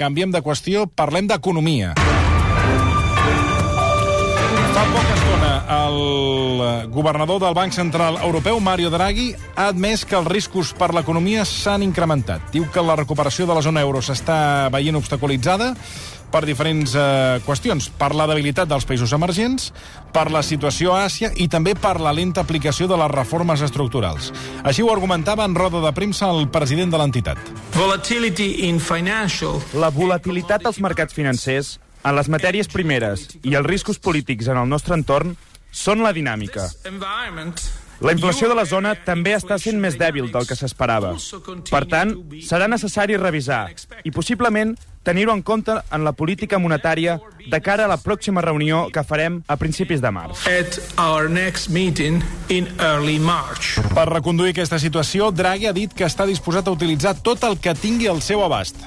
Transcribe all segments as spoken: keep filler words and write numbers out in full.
canviem de qüestió, parlem d'economia. Fa poca estona, el governador del Banc Central Europeu, Mario Draghi, ha admès que els riscos per l'economia s'han incrementat. Diu que la recuperació de la zona euro s'està veient obstaculitzada per diferents eh, qüestions, per la debilitat dels països emergents, per la situació a Àsia i també per la lenta aplicació de les reformes estructurals. Així ho argumentava en roda de premsa el president de l'entitat. La volatilitat als mercats financers, en les matèries primeres i els riscos polítics en el nostre entorn són la dinàmica. La inflació de la zona també està sent més dèbil del que s'esperava. Per tant, serà necessari revisar i possiblement tenir-ho en compte en la política monetària de cara a la pròxima reunió que farem a principis de març. Per reconduir aquesta situació, Draghi ha dit que està disposat a utilitzar tot el que tingui al seu abast.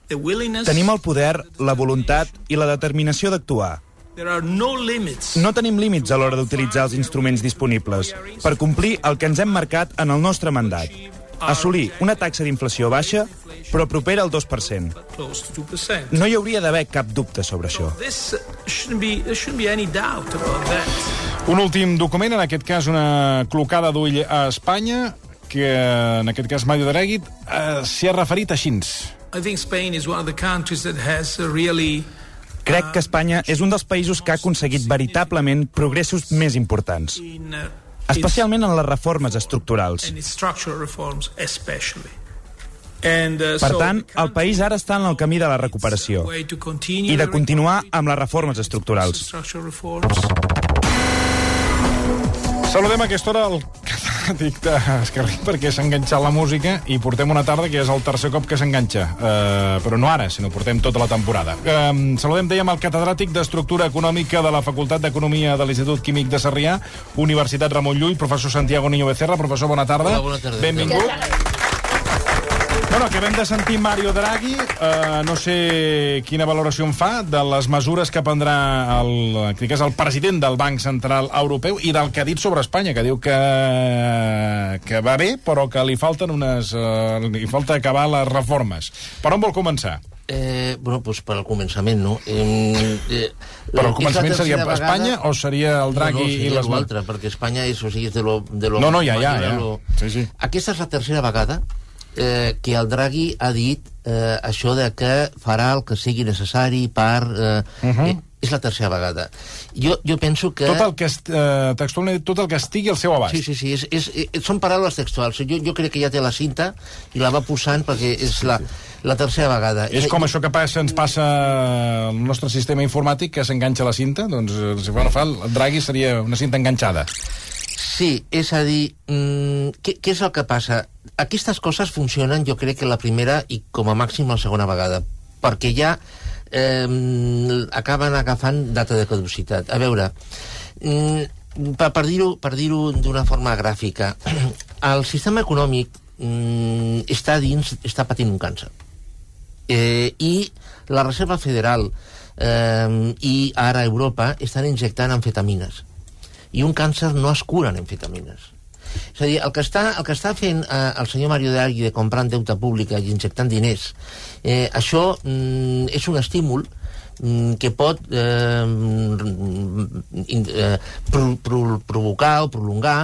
Tenim el poder, la voluntat i la determinació d'actuar. No tenim límits a l'hora d'utilitzar els instruments disponibles per complir el que ens hem marcat en el nostre mandat. Assolir una taxa d'inflació baixa, però propera al dos per cent. No hi hauria d'haver cap dubte sobre això. Un últim document, en aquest cas una clocada d'ull a Espanya, que en aquest cas Mario Draghi eh, s'hi ha referit així. Crec que Espanya és un dels països que ha aconseguit veritablement progressos més importants, especialment en les reformes estructurals. Per tant, el país ara està en el camí de la recuperació i de continuar amb les reformes estructurals. Saludem a aquesta hora el catedràtic d'Esquerra perquè s'ha enganxat la música i portem una tarda que és el tercer cop que s'enganxa. Uh, però no ara, sinó portem tota la temporada. Uh, saludem, dèiem, el catedràtic d'Estructura Econòmica de la Facultat d'Economia de l'Institut Químic de Sarrià, Universitat Ramon Llull, professor Santiago Niño Becerra. Professor, bona tarda. Hola, bona tarda. Benvingut. Bueno, acabem de sentir Mario Draghi. Uh, no sé quina valoració en fa de les mesures que prendrà el, que és el president del Banc Central Europeu i del que ha dit sobre Espanya, que diu que, que va bé, però que li falten unes, uh, li falta acabar les reformes. Per on vol començar? Eh, bueno, doncs per al començament, no? Eh, eh, Però el començament seria Espanya vegada... o seria el Draghi no, no, i les... No, altre, perquè Espanya és, o sigui, és de lo... De lo no, no, ja, ja, ja. Lo... Sí, sí. Aquesta és la tercera vegada eh, que el Draghi ha dit eh, això de que farà el que sigui necessari per... Eh, uh -huh. eh, és la tercera vegada. Jo, jo penso que... Tot el que, eh, textualment, tot el que estigui al seu abast. Sí, sí, sí. És, és, és, són paraules textuals. Jo, jo crec que ja té la cinta i la va posant perquè és la, la tercera vegada. És com això que passa, ens passa al nostre sistema informàtic, que s'enganxa la cinta. Doncs, si fa no fa, el Draghi seria una cinta enganxada. Sí, és a dir, mmm, què, què és el que passa? Aquestes coses funcionen, jo crec que la primera i com a màxim la segona vegada, perquè ja eh, acaben agafant data de caducitat. A veure, mm, per, per dir-ho per dir-ho d'una forma gràfica, el sistema econòmic mm, està dins, està patint un càncer. Eh, I la Reserva Federal eh, i ara Europa estan injectant amfetamines. I un càncer no es cura en amfetamines. És a dir, el que està, el que està fent eh, el senyor Mario Draghi de comprar en deute pública i injectant diners, eh, això mm, és un estímul mm, que pot eh, in, eh, pro, pro, provocar o prolongar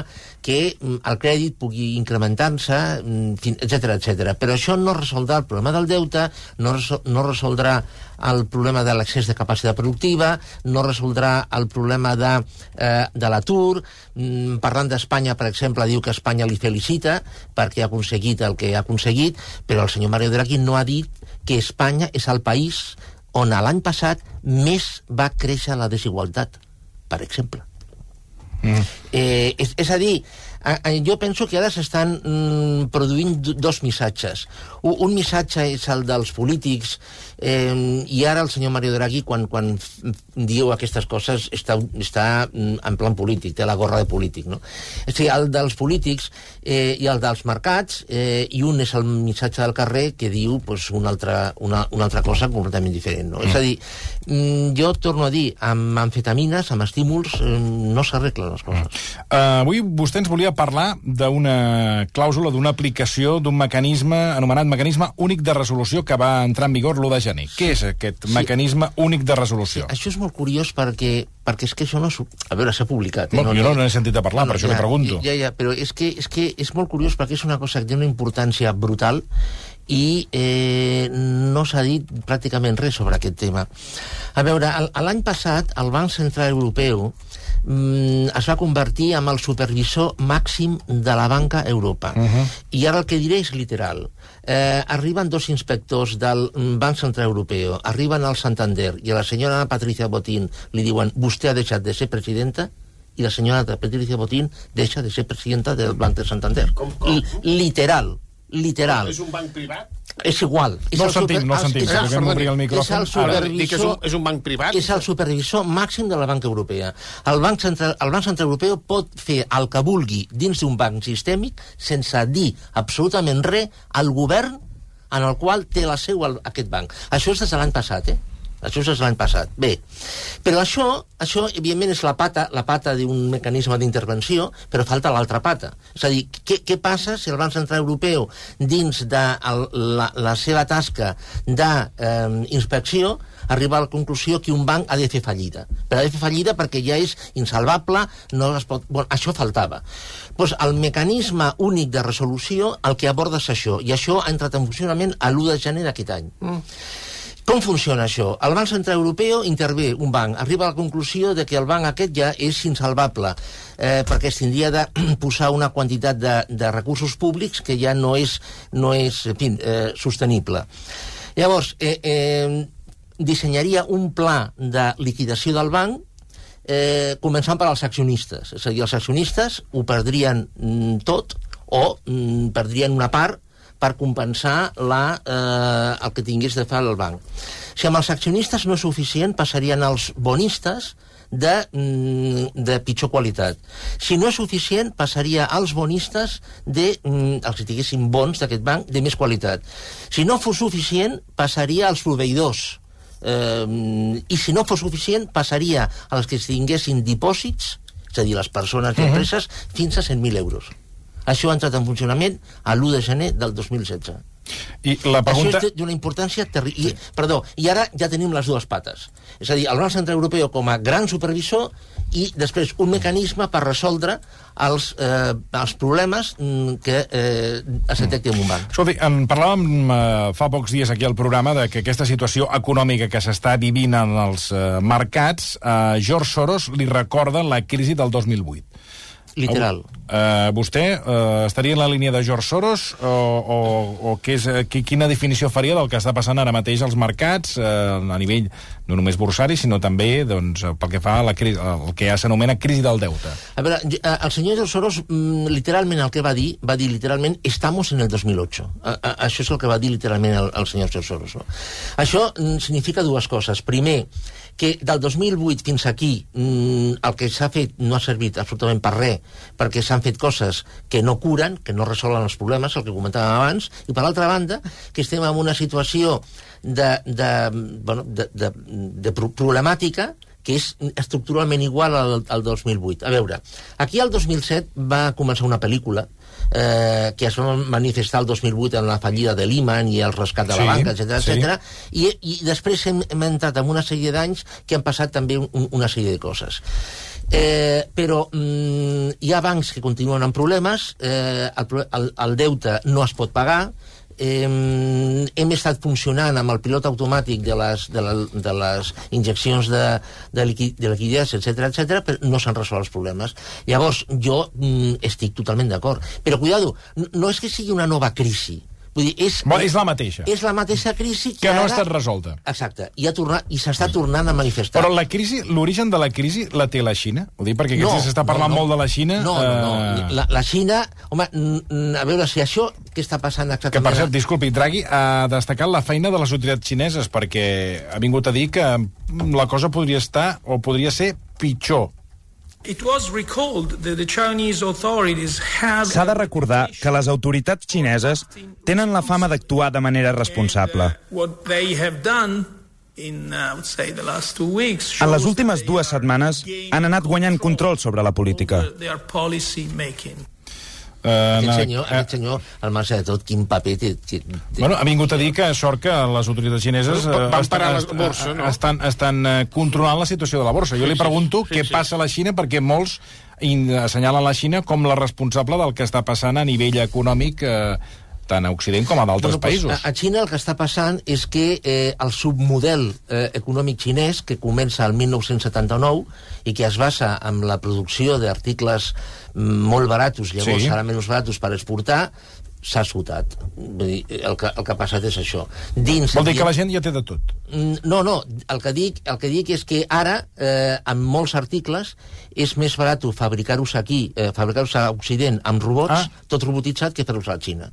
que mm, el crèdit pugui incrementar-se, mm, etcètera, etcètera. Però això no resoldrà el problema del deute, no, resol, no resoldrà el problema de l'excés de capacitat productiva, no resoldrà el problema de, eh, de l'atur. Mm, parlant d'Espanya, per exemple, diu que Espanya li felicita perquè ha aconseguit el que ha aconseguit, però el senyor Mario Draghi no ha dit que Espanya és el país on l'any passat més va créixer la desigualtat, per exemple. Mm. Eh, és, és a dir, jo penso que ara s'estan mm, produint dos missatges. Un, un missatge és el dels polítics, eh, i ara el senyor Mario Draghi, quan, quan diu aquestes coses, està, està en plan polític, té la gorra de polític, no? És a dir, el dels polítics eh, i el dels mercats, eh, i un és el missatge del carrer que diu pues, una, altra, una, una altra cosa completament diferent, no? Mm. És a dir, mm, jo torno a dir, amb amfetamines, amb estímuls, eh, no s'arreglen les coses. Mm. Uh, avui vostè ens volia parlar d'una clàusula, d'una aplicació d'un mecanisme anomenat mecanisme únic de resolució que va entrar en vigor l'u de gener. Què és aquest Sí. mecanisme únic de resolució? Sí, això és molt curiós perquè, perquè és que això no... A veure, s'ha publicat. Eh? Bueno, jo no n'he sentit a parlar, no, per això ja, li pregunto. Ja, ja, però és que, és que és molt curiós perquè és una cosa que té una importància brutal i eh, no s'ha dit pràcticament res sobre aquest tema. A veure, l'any passat el Banc Central Europeu mm, es va convertir en el supervisor màxim de la banca a Europa. Uh -huh. I ara el que diré és literal. Eh, arriben dos inspectors del Banc Central Europeu, arriben al Santander i a la senyora Patricia Botín li diuen vostè ha deixat de ser presidenta, i la senyora Patricia Botín deixa de ser presidenta del Banc de Santander. Com, com? Literal. Literal. És un banc privat? És igual. És No el el sentim, super- no el sentim. és el- Podem obrir el micròfon. És el Ara, dic que és un, supervisor... és un banc privat? És el supervisor màxim de la banca europea. El Banc Central, el Banc Central Europeu pot fer el que vulgui dins d'un banc sistèmic sense dir absolutament res al govern en el qual té la seu el, aquest banc. Això és des de l'any passat, eh? Això és l'any passat. Bé, però això, això evidentment, és la pata, la pata d'un mecanisme d'intervenció, però falta l'altra pata. És a dir, què, què passa si el Banc Central Europeu, dins de el, la, la seva tasca d'inspecció, eh, arriba a la conclusió que un banc ha de fer fallida. Però ha de fer fallida perquè ja és insalvable, no es pot... Bueno, això faltava. Pues el mecanisme únic de resolució el que aborda és això, i això ha entrat en funcionament a l'u de gener d'aquest any. Mm. Com funciona això? El Banc Central Europeu intervé un banc, arriba a la conclusió de que el banc aquest ja és insalvable, eh, perquè es tindria de posar una quantitat de, de recursos públics que ja no és, no és en fi, eh, sostenible. Llavors, eh, eh, dissenyaria un pla de liquidació del banc, eh, començant per als accionistes. És a dir, els accionistes ho perdrien mm, tot o mm, perdrien una part per compensar la, eh, el que tingués de fer el banc. Si amb els accionistes no és suficient, passarien als bonistes de, de pitjor qualitat. Si no és suficient, passaria als bonistes de, els que tinguessin bons d'aquest banc, de més qualitat. Si no fos suficient, passaria als proveïdors. Eh, I si no fos suficient, passaria als que tinguessin dipòsits, és a dir, les persones i empreses, fins a cent mil euros. Això ha entrat en funcionament a l'u de gener del dos mil setze. I la pregunta... Això és d'una importància terrible. Sí. Perdó, i ara ja tenim les dues pates. És a dir, el Banc Central Europeu com a gran supervisor i després un mecanisme per resoldre els, eh, els problemes que eh, es detecti en un banc. Escolti, en parlàvem eh, fa pocs dies aquí al programa de que aquesta situació econòmica que s'està vivint en els eh, mercats, a eh, George Soros li recorda la crisi del dos mil vuit. Literal. Uh, vostè uh, estaria en la línia de George Soros o, o, o què és, quina definició faria del que està passant ara mateix als mercats uh, a nivell no només bursari, sinó també doncs, pel que fa a la crisi, el que ja s'anomena crisi del deute? A veure, el senyor George Soros literalment el que va dir, va dir literalment estamos en el dos mil ocho. A, a, això és el que va dir literalment el, el senyor George Soros. No? Això significa dues coses. Primer, que del dos mil vuit fins aquí el que s'ha fet no ha servit absolutament per res, perquè s'han fet coses que no curen, que no resolen els problemes, el que comentàvem abans, i per l'altra banda, que estem en una situació de, de, bueno, de, de, de problemàtica que és estructuralment igual al, al dos mil vuit. A veure, aquí el dos mil set va començar una pel·lícula eh, que es va manifestar el dos mil vuit en la fallida de Lehman i el rescat de la sí, banca, etcètera, sí. etcètera, i, i després hem, hem entrat en una sèrie d'anys que han passat també un, una sèrie de coses. Eh, però mm, hi ha bancs que continuen amb problemes, eh, el, el, el deute no es pot pagar, eh, hem estat funcionant amb el pilot automàtic de les, de la, de les injeccions de, de, liqui, de liquiditat, etcètera, etcètera, però no s'han resolt els problemes. Llavors, jo mm, estic totalment d'acord. Però, cuidado, no és que sigui una nova crisi. Vull dir, és, Bo, és la mateixa. És la mateixa crisi que, que no ara... ha estat resolta. Exacte, i, ha tornat, i s'està tornant a manifestar. Però la crisi, l'origen de la crisi la té la Xina? Ho dic perquè no, s'està parlant no, no. molt de la Xina. No, no, no. Eh... La, la Xina... Home, a veure, si això que està passant exactament... Que, per cert, disculpi, Draghi ha destacat la feina de les autoritats xineses perquè ha vingut a dir que la cosa podria estar o podria ser pitjor. S'ha de recordar que les autoritats xineses tenen la fama d'actuar de manera responsable. En les últimes dues setmanes han anat guanyant control sobre la política. Uh, aquest, senyor, uh, aquest senyor, al marge de tot, quin paper té... té, té. Bueno, ha vingut a dir que sort que les autoritats xineses uh, van estan, parar la borsa, no? estan, estan uh, controlant la situació de la borsa. Jo li pregunto sí, sí, què sí. passa a la Xina, perquè molts assenyalen la Xina com la responsable del que està passant a nivell econòmic uh, tant a Occident com a d'altres bueno, països. A, a Xina el que està passant és que eh, el submodel eh, econòmic xinès, que comença el mil nou-cents setanta-nou i que es basa en la producció d'articles molt baratos, llavors sí. ara menys baratos per exportar, s'ha esgotat. Vull dir, el que, el que ha passat és això. Dins Vol dir que la gent ja té de tot? No, no. El que dic, el que dic és que ara, eh, amb molts articles, és més barat fabricar-los aquí, eh, fabricar-los a Occident amb robots, ah. tot robotitzat, que fer-los a la Xina.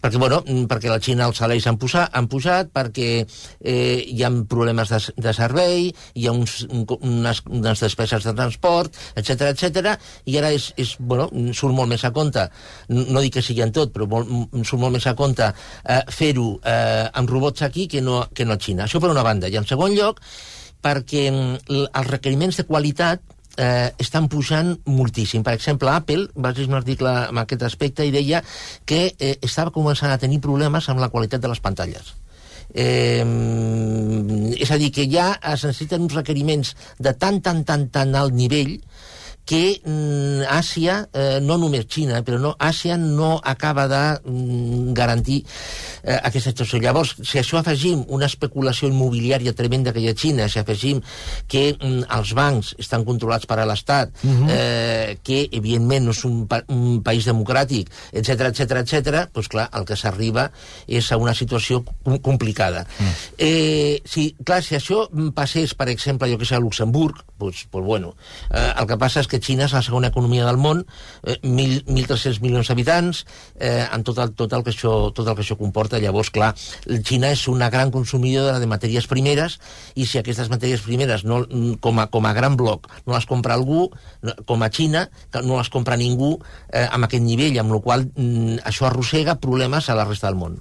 Perquè, bueno, perquè la Xina els salaris han, posat, han pujat, perquè eh, hi ha problemes de, de servei, hi ha uns, unes, unes despeses de transport, etcètera, etcètera, i ara és, és, bueno, surt molt més a compte, no dic que sigui en tot, però molt, surt molt més a compte eh, fer-ho eh, amb robots aquí que no, que no a Xina. Això per una banda. I en segon lloc, perquè els requeriments de qualitat eh, estan pujant moltíssim. Per exemple, Apple va llegir un article en aquest aspecte i deia que eh, estava començant a tenir problemes amb la qualitat de les pantalles. Eh, és a dir, que ja es necessiten uns requeriments de tan, tan, tan, tan alt nivell que mm, Àsia, eh, no només Xina, però no, Àsia no acaba de mm, garantir eh, aquesta situació. Llavors, si això afegim una especulació immobiliària tremenda que hi ha a Xina, si afegim que mm, els bancs estan controlats per a l'Estat, uh-huh. eh, que evidentment no és un, pa un país democràtic, etcètera, etcètera, etcètera, doncs clar, el que s'arriba és a una situació com complicada. Uh-huh. Eh, si, clar, si això passés, per exemple, jo que sé, a Luxemburg, doncs, doncs bueno, eh, el que passa és que Xina és la segona economia del món, eh, mil tres-cents milions d'habitants, eh, amb tot el, tot, el que això, tot el que això comporta. Llavors, clar, Xina és una gran consumidora de matèries primeres, i si aquestes matèries primeres, no, com, a, com a gran bloc, no les compra algú, com a Xina, no les compra ningú eh, amb aquest nivell, amb la qual cosa això arrossega problemes a la resta del món.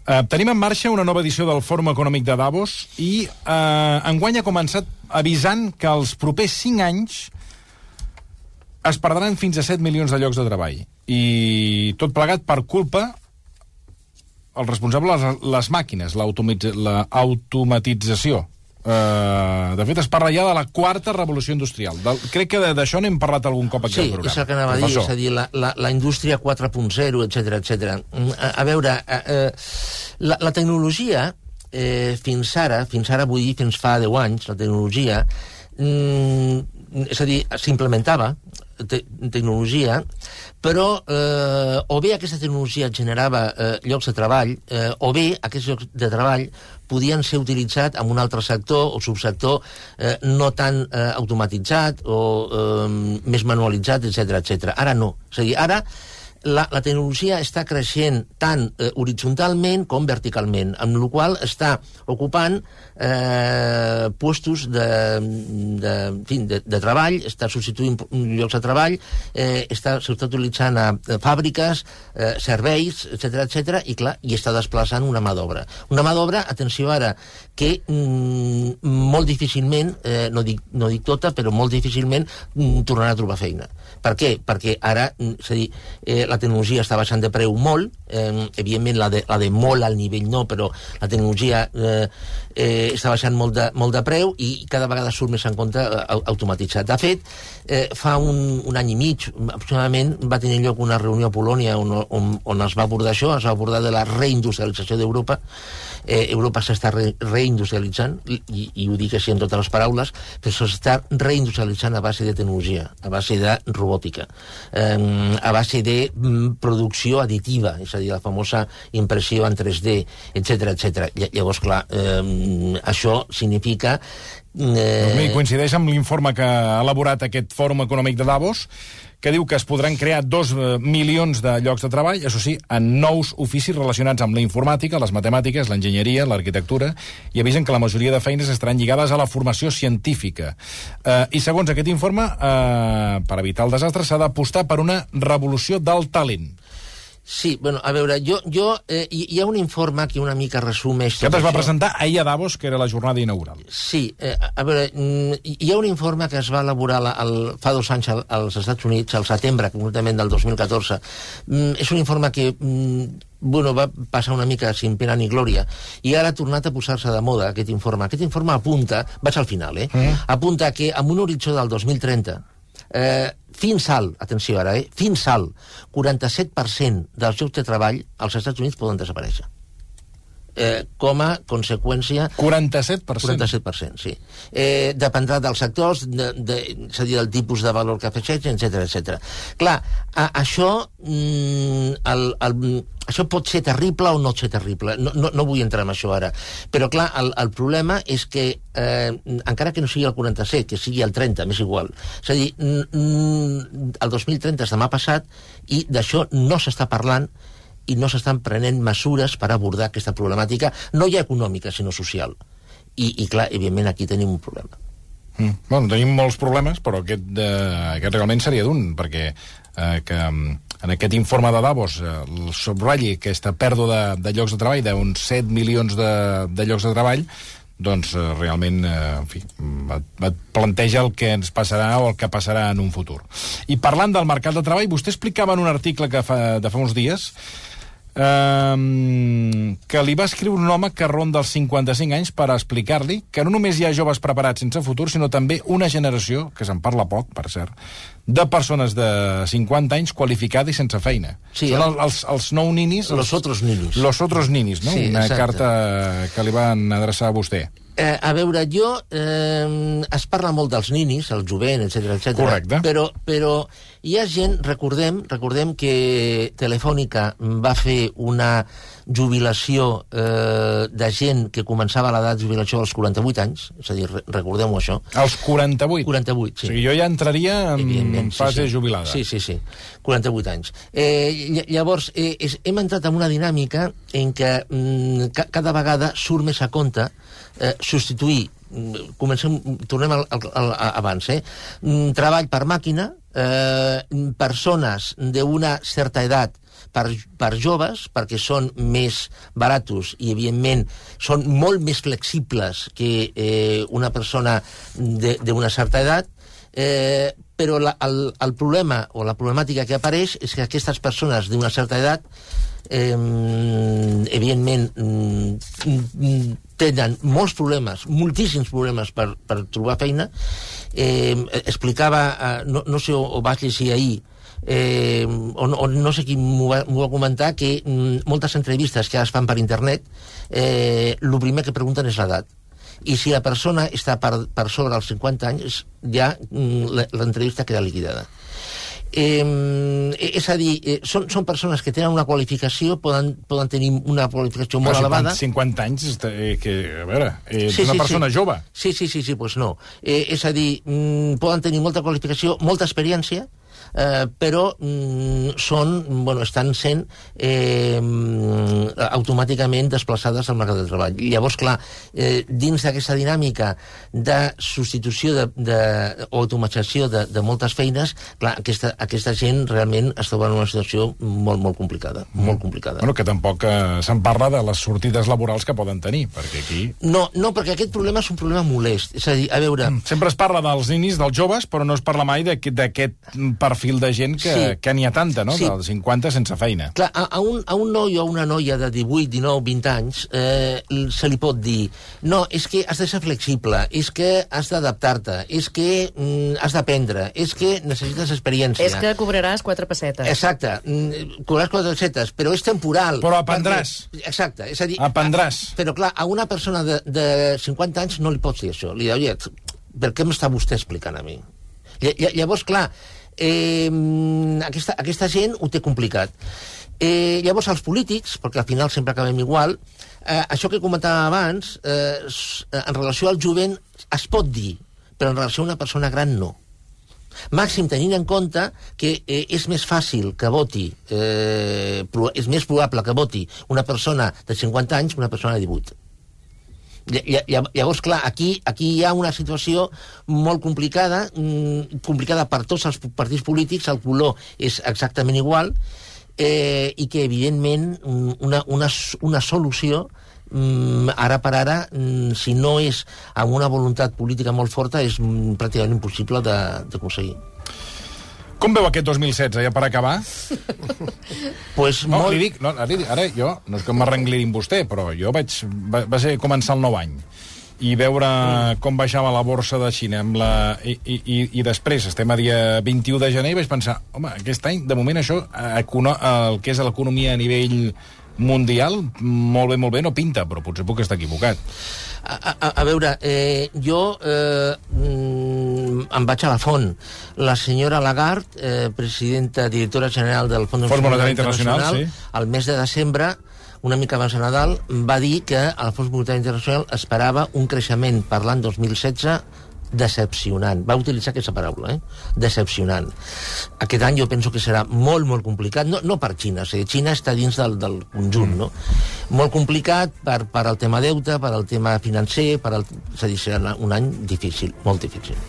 Uh, tenim en marxa una nova edició del Fòrum Econòmic de Davos i uh, enguany ha començat avisant que els propers cinc anys es perdran fins a set milions de llocs de treball. I tot plegat per culpa el responsable les, les màquines, l'automatització. Uh, de fet, es parla ja de la quarta revolució industrial. Del, crec que d'això n'hem parlat algun cop aquí sí, al programa. Sí, és el que anava a dir, és a dir, la, la, la indústria quatre punt zero, etcètera, etcètera. A, a veure, a, a, la, la tecnologia, eh, fins ara, fins ara vull dir fins fa deu anys, la tecnologia, mm, és a dir, s'implementava te tecnologia, però eh, o bé aquesta tecnologia generava eh, llocs de treball, eh, o bé aquests llocs de treball podien ser utilitzats en un altre sector o subsector eh, no tan eh, automatitzat o eh, més manualitzat, etcètera, etcètera. Ara no. És a dir, ara la, la tecnologia està creixent tant eh, horitzontalment com verticalment, amb la qual està ocupant eh, puestos de, de, en fi, de, de treball, està substituint llocs de treball, eh, està, s'està utilitzant a, a fàbriques, eh, serveis, etcètera, etcètera, i clar, i està desplaçant una mà d'obra. Una mà d'obra, atenció ara, que mm, molt difícilment, eh, no, dic, no dic tota, però molt difícilment mm, tornarà a trobar feina. Per què? Perquè ara, és a dir, eh, la tecnologia està baixant de preu molt, eh, evidentment la de, la de molt al nivell no, però la tecnologia eh, eh, està baixant molt de, molt de preu i cada vegada surt més en compte eh, automatitzat. De fet, eh, fa un, un any i mig, aproximadament, va tenir lloc una reunió a Polònia on, on, on es va abordar això, es va abordar de la reindustrialització d'Europa. Eh, Europa s'està re, reindustrialitzant, i, i ho dic així en totes les paraules, però s'està reindustrialitzant a base de tecnologia, a base de robòtica, eh, a base de mm, producció additiva, és a dir, la famosa impressió en tres D, etcètera, etcètera. Llavors, clar, eh, això significa Eh... Doncs coincideix amb l'informe que ha elaborat aquest Fòrum Econòmic de Davos, que diu que es podran crear dos milions de llocs de treball, això sí, en nous oficis relacionats amb la informàtica, les matemàtiques, l'enginyeria, l'arquitectura, i avisen que la majoria de feines estaran lligades a la formació científica. Eh, I segons aquest informe, eh, per evitar el desastre, s'ha d'apostar per una revolució del talent. Sí, bueno, a veure, jo, jo eh, hi ha un informe que una mica resumeix... Que es va presentar ahir a Davos, que era la jornada inaugural. Sí, eh, a veure, hi ha un informe que es va elaborar el, fa dos anys als Estats Units, al setembre, concretament del dos mil catorze. Mm, és un informe que mm, bueno, va passar una mica sin pena ni glòria, i ara ha tornat a posar-se de moda aquest informe. Aquest informe apunta, vaig al final, eh? Mm. Apunta que amb un horitzó del dos mil trenta, eh, fins al, atenció ara, eh, fins al quaranta-set per cent dels llocs de treball als Estats Units poden desaparèixer. Eh, com a conseqüència... quaranta-set per cent? quaranta-set per cent, sí. Eh, dependrà dels sectors, de, de, és a dir, del tipus de valor que afegeix, etcètera, etcètera. Clar, a, això, mm, el, el, això pot ser terrible o no ser terrible. No, no, no vull entrar en això ara. Però, clar, el, el problema és que, eh, encara que no sigui el quaranta-set, que sigui el trenta, m'és igual. És a dir, mm, el dos mil trenta és demà passat i d'això no s'està parlant i no s'estan prenent mesures per abordar aquesta problemàtica, no ja econòmica, sinó social. I, i clar, evidentment, aquí tenim un problema. Mm. Bueno, tenim molts problemes, però aquest, eh, aquest realment seria d'un, perquè eh, que en aquest informe de Davos eh, el subratlli aquesta pèrdua de, de llocs de treball, d'uns set milions de, de llocs de treball, doncs eh, realment, eh, en fi, et, et planteja el que ens passarà o el que passarà en un futur. I parlant del mercat de treball, vostè explicava en un article que fa, de fa uns dies Um, que li va escriure un home que ronda els cinquanta-cinc anys per explicar-li que no només hi ha joves preparats sense futur, sinó també una generació, que se'n parla poc, per cert, de persones de cinquanta anys qualificada i sense feina. Sí, Són el, els, els nou ninis... Los els, otros ninis. Los otros ninis, no? Sí, una exacte. carta que li van adreçar a vostè. Eh, a veure, jo... Eh, es parla molt dels ninis, el jovent, etcètera, etcètera. Correcte. Però, però hi ha gent, recordem, recordem que Telefònica va fer una jubilació eh, de gent que començava l'edat de jubilació als quaranta-vuit anys, és a dir, recordem-ho això. Als quaranta-vuit? quaranta-vuit, sí. O sigui, jo ja entraria en, en fase sí, sí. jubilada. Sí, sí, sí, quaranta-vuit anys. Eh, llavors, eh, és, hem entrat en una dinàmica en què mm, ca cada vegada surt més a compte eh, substituir, comencem, tornem al, al, al, abans, eh? Treball per màquina, eh, persones d'una certa edat per, per joves, perquè són més baratos i, evidentment, són molt més flexibles que eh, una persona d'una certa edat, eh, però la, el, el problema o la problemàtica que apareix és que aquestes persones d'una certa edat eh, evidentment tenen molts problemes, moltíssims problemes per, per trobar feina. Eh, explicava, eh, no, no sé, o vaig llegir ahir, eh, o, o no sé qui m'ho va, va comentar, que mm, moltes entrevistes que es fan per internet, eh, el primer que pregunten és l'edat. I si la persona està per, per sobre els cinquanta anys, ja mm, l'entrevista queda liquidada. Eh, és a dir, eh, són, són persones que tenen una qualificació, poden, poden tenir una qualificació molt elevada. cinquanta anys, eh, que, a veure, eh, sí, una sí, persona sí. jove. Sí, sí, sí, sí, pues no. Eh, és a dir, mm, poden tenir molta qualificació, molta experiència, eh, però mm, són, bueno, estan sent eh, automàticament desplaçades al mercat de treball. I llavors, clar, eh, dins d'aquesta dinàmica de substitució de, de, o automatització de, de moltes feines, clar, aquesta, aquesta gent realment es troba en una situació molt, molt complicada, mm. molt complicada. Bueno, que tampoc eh, se'n parla de les sortides laborals que poden tenir, perquè aquí... No, no, perquè aquest problema és un problema molest. És a dir, a veure... Mm. Sempre es parla dels ninis, dels joves, però no es parla mai d'aquest perfil de gent que, sí. que n'hi ha tanta, no? Sí. Dels cinquanta sense feina. Clar, a, a, un, a un noi o a una noia de divuit, dinou, vint anys eh, se li pot dir no, és que has de ser flexible, és que has d'adaptar-te, és que mm, has d'aprendre, és que necessites experiència. És que cobraràs quatre pessetes. Exacte, mm, cobraràs quatre pessetes, però és temporal. Però aprendràs. Perquè, exacte, és a dir... Aprendràs. A, però clar, a una persona de, de cinquanta anys no li pots dir això. Li dius, per què m'està vostè explicant a mi? Llavors, clar, eh, aquesta, aquesta gent ho té complicat. Eh, llavors, els polítics, perquè al final sempre acabem igual, eh, això que comentava abans, eh, en relació al jovent es pot dir, però en relació a una persona gran no. Màxim tenint en compte que eh, és més fàcil que voti, eh, és més probable que voti una persona de cinquanta anys que una persona de divuit. Llavors, clar, aquí, aquí hi ha una situació molt complicada, complicada per tots els partits polítics, el color és exactament igual, eh, i que, evidentment, una, una, una solució Mm, ara per ara, mm, si no és amb una voluntat política molt forta, és mm, pràcticament impossible d'aconseguir. Com veu aquest dos mil setze, ja per acabar? Pues no, molt... li dic, no, ara, ara jo, no és que m'arrengli amb vostè, però jo vaig, va, va ser començar el nou any i veure mm. com baixava la borsa de Xina amb la, i, i, i després estem a dia vint-i-u de gener i vaig pensar, home, aquest any, de moment això, econo, el que és l'economia a nivell mundial, molt bé, molt bé, no pinta, però potser puc estar equivocat. A, a, a veure, eh, jo eh, mm, em vaig a la font. La senyora Lagarde, eh, presidenta, directora general del Fons Monetari Internacional, Internacional sí. al mes de desembre, una mica abans de Nadal, va dir que el Fons Monetari Internacional esperava un creixement per l'any dos mil setze decepcionant. Va utilitzar aquesta paraula, eh? Decepcionant. Aquest any jo penso que serà molt, molt complicat, no, no per Xina, o sigui, Xina està dins del, del conjunt, no? Molt complicat per, per al tema deute, per al tema financer, per al... és a dir, serà un any difícil, molt difícil.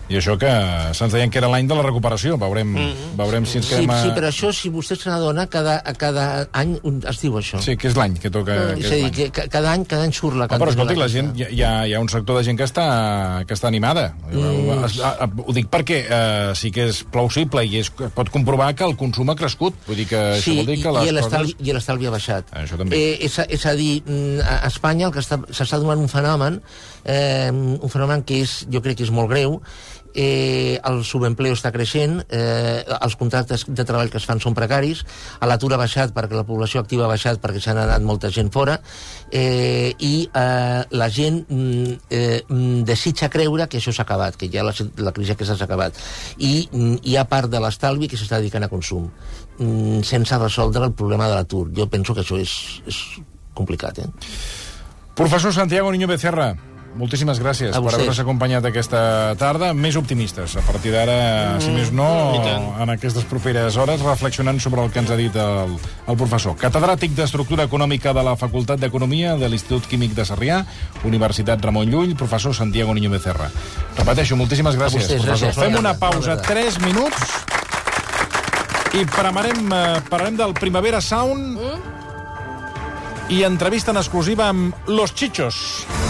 I això que se'ns deien que era l'any de la recuperació. Veurem, mm-hmm. veurem si ens quedem... Sí, a... sí, però això, si vostè se n'adona, cada, cada any es diu això. Sí, que és l'any que toca... Mm. Que és a dir, que cada any, cada any surt la... Oh, però escolti, la gent, hi ha, hi ha un sector de gent que està, que està animada. Mm. Ho dic perquè eh, sí que és plausible i es pot comprovar que el consum ha crescut. Vull dir que sí, això vol dir que les i coses... i l'estalvi ha baixat. Això també. Eh, és, a, és a dir, a Espanya el que s'està donant un fenomen, eh, un fenomen que és, jo crec que és molt greu. Eh, el subempleo està creixent, eh, els contractes de treball que es fan són precaris, l'atur ha baixat perquè la població activa ha baixat perquè s'ha anat molta gent fora, eh, i eh, la gent eh, desitja creure que això s'ha acabat, que ja la, la crisi aquesta s'ha acabat, i hi ha part de l'estalvi que s'està dedicant a consum, sense resoldre el problema de l'atur. Jo penso que això és, és complicat. Eh? Professor Santiago Niño Becerra, moltíssimes gràcies per haver-nos acompanyat aquesta tarda, més optimistes a partir d'ara, mm, si més no, en aquestes properes hores, reflexionant sobre el que ens ha dit el, el professor. Catedràtic d'Estructura Econòmica de la Facultat d'Economia de l'Institut Químic de Sarrià, Universitat Ramon Llull, professor Santiago Niño Becerra. Repeteixo, moltíssimes gràcies, vostès, professor. gràcies. Fem una pausa, tres minuts, i parlarem, parlarem del Primavera Sound i entrevista en exclusiva amb Los Chichos.